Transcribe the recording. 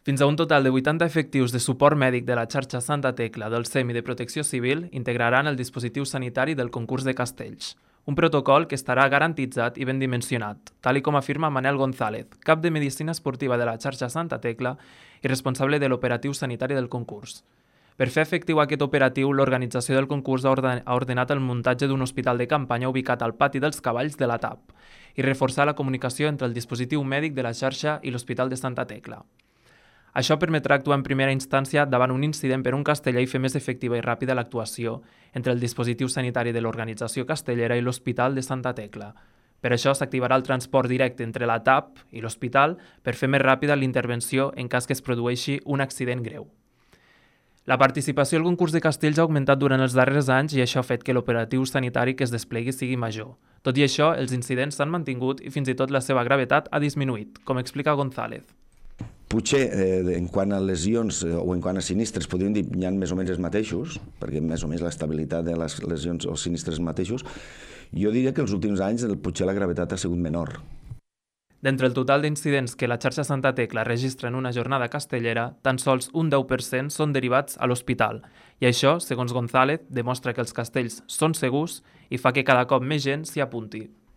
Fins a un total de 80 efectius de suport mèdic de la xarxa Santa Tecla del SEM i de Protecció Civil integraran el dispositiu sanitari del concurs de Castells, un protocol que estarà garantitzat i ben dimensionat, tal com afirma Manel González, cap de Medicina Esportiva de la xarxa Santa Tecla i responsable de l'operatiu sanitari del concurs. Per fer efectiu aquest operatiu, l'organització del concurs ha ordenat el muntatge d'un hospital de campanya ubicat al pati dels cavalls de la TAP i reforçar la comunicació entre el dispositiu mèdic de la xarxa i l'Hospital de Santa Tecla. Això permetrà actuar en primera instància davant un incident per un casteller i fer més efectiva i ràpida l'actuació entre el dispositiu sanitari de l'organització castellera i l'Hospital de Santa Tecla. Per això s'activarà el transport directe entre la TAP i l'hospital per fer més ràpida l'intervenció en cas que es produeixi un accident greu. La participació al concurs de castells ha augmentat durant els darrers anys i això ha fet que l'operatiu sanitari que es desplegui sigui major. Tot i això, els incidents s'han mantingut i fins i tot la seva gravetat ha disminuït, com explica González. Potser en quant a lesions o en quant a sinistres podríem dir que hi ha més o menys els mateixos, perquè més o menys l'estabilitat de les lesions o sinistres mateixos. Jo diria que els últims anys potser la gravetat ha sigut menor. D'entre el total d'incidents que la xarxa Santa Tecla registra en una jornada castellera, tan sols un 10% són derivats a l'hospital. I això, segons González, demostra que els castells són segurs i fa que cada cop més gent s'hi apunti.